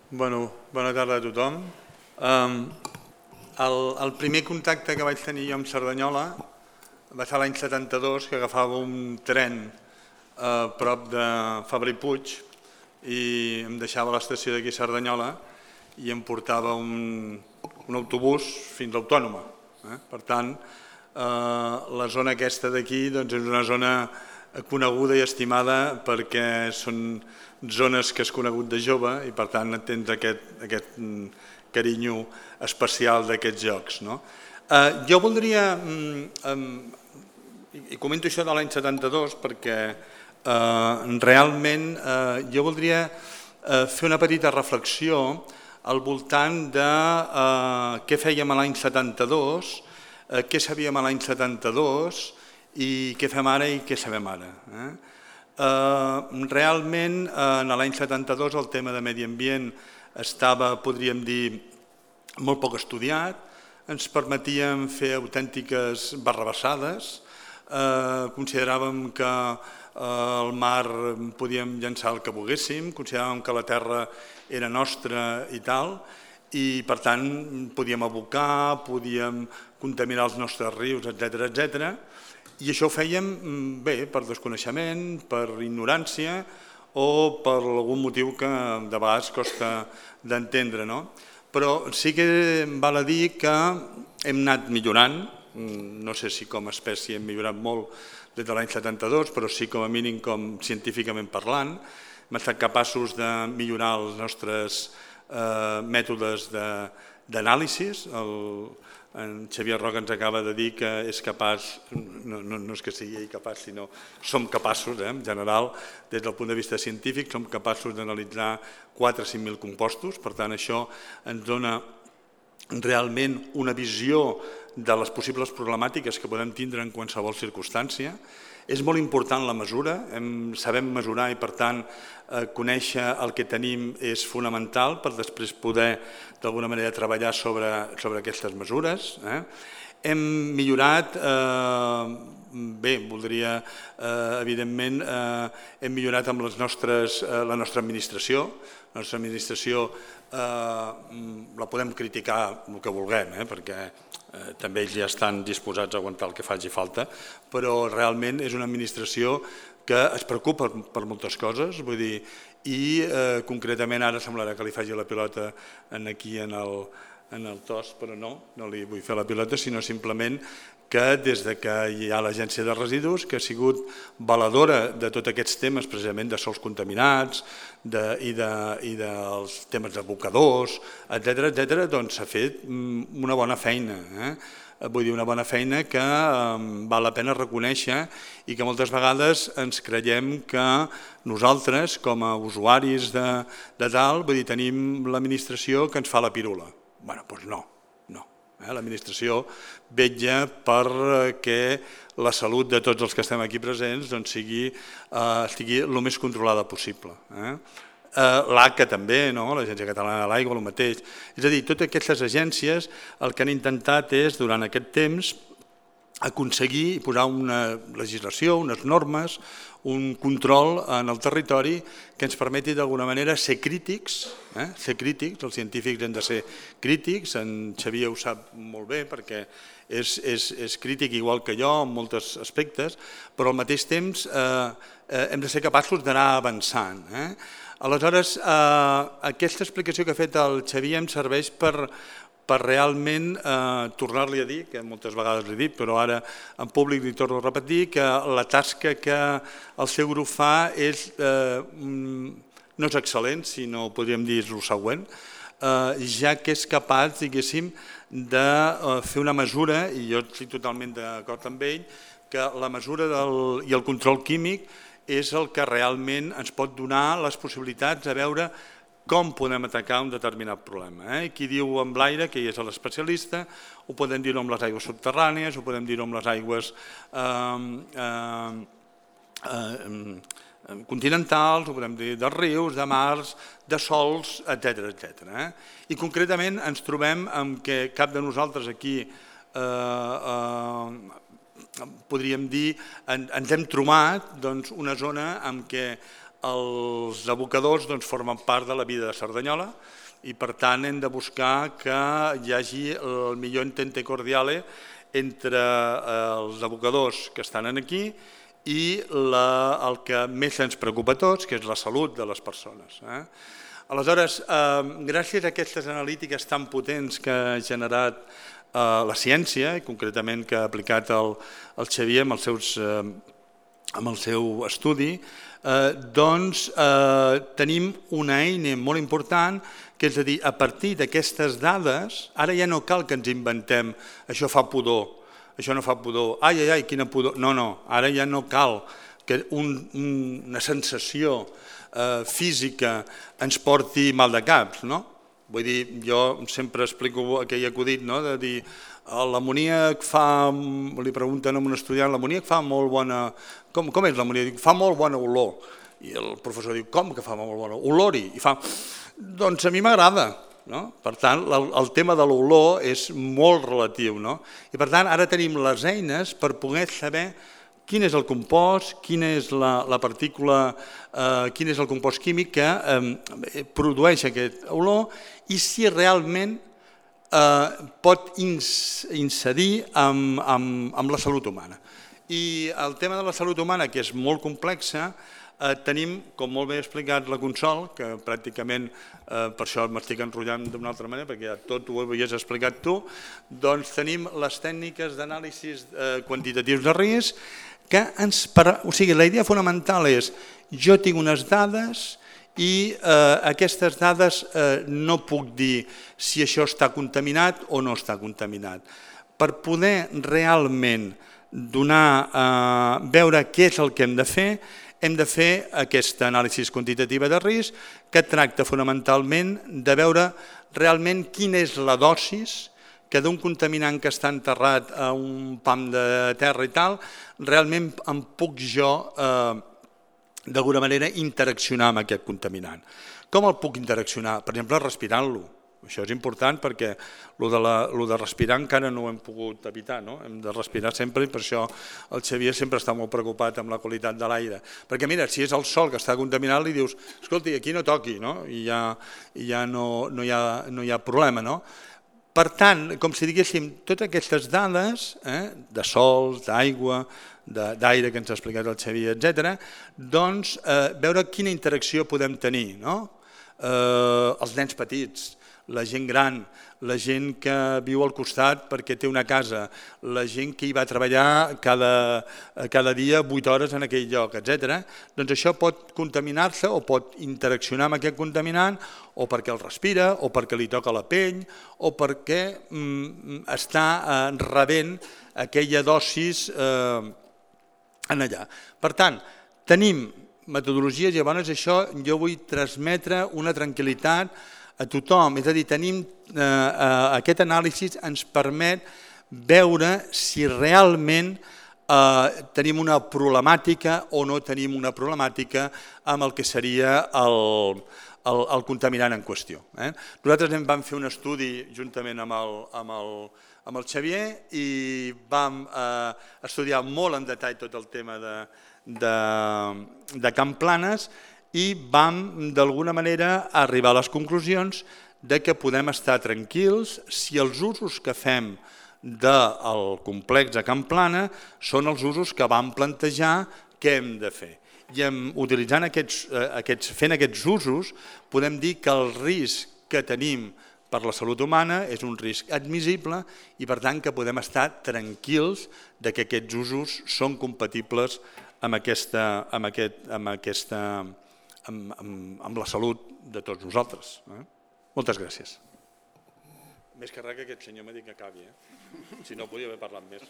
Bona tarda a tothom. El primer contacte que vaig tenir jo amb Cerdanyola va ser l'any 72, que agafava un tren a prop de Fabra i Puig i em deixava a l'estació d'aquí a Cerdanyola i em portava un autobús fins a l'Autònoma. Per tant, la zona aquesta d'aquí és una zona coneguda i estimada perquè són zones que has conegut de jove i per tant tens aquest carinyo especial d'aquests jocs. Jo voldria, i comento això de l'any 72 perquè realment jo voldria fer una petita reflexió al voltant de què fèiem a l'any 72, què sabíem a l'any 72 i què fem ara i què sabem ara. Realment, en l'any 72 el tema de medi ambient estava, podríem dir, molt poc estudiat, ens permetíem fer autèntiques barrabassades, consideràvem que al mar podíem llançar el que volguéssim, consideràvem que la terra era nostra i tal, i per tant podíem abocar, podíem contaminar els nostres rius, etc. I això ho fèiem bé per desconeixement, per ignorància o per algun motiu que de vegades costa d'entendre. Però sí que val a dir que hem anat millorant, no sé si com a espècie hem millorat molt des de l'any 72, però sí com a mínim com científicament parlant. Hem estat capaços de millorar els nostres mètodes d'anàlisi. En Xavier Roca ens acaba de dir que és capaç, no és que sigui ell capaç, sinó som capaços, en general, des del punt de vista científic, som capaços d'analitzar 4 o 5.000 compostos, per tant això ens dona realment una visió de les possibles problemàtiques que podem tindre en qualsevol circumstància. És molt important la mesura, sabem mesurar i per tant conèixer el que tenim és fonamental per després poder d'alguna manera treballar sobre aquestes mesures. Hem millorat, bé, voldria, evidentment, hem millorat amb la nostra administració. La nostra administració la podem criticar el que vulguem, perquè també ells ja estan disposats a aguantar el que faci falta, però realment és una administració que es preocupa per moltes coses, vull dir, i concretament ara semblarà que li faci la pilota aquí en el TOS, però no li vull fer la pilota, sinó simplement que des que hi ha l'Agència de Residus, que ha sigut valedora de tots aquests temes, precisament de sòls contaminats i dels temes d'abocadors, etc., doncs s'ha fet una bona feina. Vull dir, una bona feina que val la pena reconèixer i que moltes vegades ens creiem que nosaltres, com a usuaris de tal, vull dir, tenim l'administració que ens fa la pirula. Bé, doncs no. L'administració vetlla perquè la salut de tots els que estem aquí presents estigui el més controlada possible. L'ACA també, l'Agència Catalana de l'Aigua, el mateix. És a dir, totes aquestes agències el que han intentat és, durant aquest temps, aconseguir posar una legislació, unes normes, un control en el territori que ens permeti d'alguna manera ser crítics, els científics hem de ser crítics, en Xavier ho sap molt bé perquè és crític igual que jo en molts aspectes, però al mateix temps hem de ser capaços d'anar avançant. Aleshores, aquesta explicació que ha fet el Xavier em serveix per realment tornar-li a dir, que moltes vegades l'he dit, però ara en públic li torno a repetir, que la tasca que el seu grup fa no és excel·lent, sinó podríem dir és el següent, ja que és capaç, diguéssim, de fer una mesura, i jo estic totalment d'acord amb ell, que la mesura i el control químic és el que realment ens pot donar les possibilitats de veure com podem atacar un determinat problema. Qui diu amb l'aire, que ell és l'especialista, ho podem dir-ho amb les aigües subterrànies, ho podem dir-ho amb les aigües continentals, ho podem dir dels rius, de mars, de sols, etc. I concretament ens trobem amb que cap de nosaltres aquí podríem dir, ens hem trobat una zona en què Els abocadors formen part de la vida de Cerdanyola i per tant hem de buscar que hi hagi el millor entente cordiale entre els abocadors que estan aquí i el que més ens preocupa a tots, que és la salut de les persones. Aleshores, gràcies a aquestes analítiques tan potents que ha generat la ciència, i concretament que ha aplicat el Xavier amb el seu estudi, doncs tenim una eina molt important, que és a dir, a partir d'aquestes dades, ara ja no cal que ens inventem això fa pudor, això no fa pudor, ai, quina pudor, no, ara ja no cal que una sensació física ens porti mal de caps, no? Vull dir, jo sempre explico aquell acudit, de dir, l'amoníac fa, li pregunten a un estudiant, l'amoníac fa molt bona, com és l'amoníac? Fa molt bona olor. I el professor diu, com que fa molt bona olor? Olori. I fa, doncs a mi m'agrada. Per tant, el tema de l'olor és molt relatiu. I per tant, ara tenim les eines per poder saber quin és el compost, quina és la partícula, quin és el compost químic que produeix aquest olor i si realment pot incidir amb la salut humana. I el tema de la salut humana, que és molt complexa, tenim, com molt bé ha explicat la Consol, que pràcticament per això m'estic enrotllant d'una altra manera, perquè ja tot ho havies explicat tu, doncs tenim les tècniques d'anàlisis quantitatius de risc, que o sigui, la idea fonamental és jo tinc unes dades i aquestes dades no puc dir si això està contaminat o no està contaminat. Per poder realment veure què és el que hem de fer aquesta anàlisi quantitativa de risc que tracta fonamentalment de veure realment quina és la dosis que d'un contaminant que està enterrat a un pam de terra i tal, realment em puc jo d'alguna manera interaccionar amb aquest contaminant. Com el puc interaccionar? Per exemple, respirant-lo. Això és important perquè el de respirar encara no ho hem pogut evitar, hem de respirar sempre i per això el Xavier sempre està molt preocupat amb la qualitat de l'aire. Perquè mira, si és el sol que està contaminat li dius, escolti, aquí no toqui, i ja no hi ha problema. Per tant, com si diguéssim, totes aquestes dades de sol, d'aigua, d'aire que ens ha explicat el Xavier, etc., doncs veure quina interacció podem tenir. Els nens petits, la gent gran, la gent que viu al costat perquè té una casa, la gent que hi va treballar cada dia 8 hores en aquell lloc, etc. Doncs això pot contaminar-se o pot interaccionar amb aquest contaminant o perquè el respira, o perquè li toca la pell, o perquè està rebent aquella dosis allà. Per tant, tenim metodologies i llavors això jo vull transmetre una tranquil·litat a tothom, és a dir, aquest anàlisi ens permet veure si realment tenim una problemàtica o no tenim una problemàtica amb el que seria el contaminant en qüestió. Nosaltres vam fer un estudi juntament amb el Xavier i vam estudiar molt en detall tot el tema de Can Planes i vam d'alguna manera arribar a les conclusions que podem estar tranquils si els usos que fem del complex a Can Plana són els usos que vam plantejar que hem de fer. I utilitzant fent aquests usos podem dir que el risc que tenim per la salut humana és un risc admissible i per tant que podem estar tranquils que aquests usos són compatibles amb la salut de tots nosaltres. Moltes gràcies. Més que res que aquest senyor m'ha dit que acabi, si no podria haver parlat més.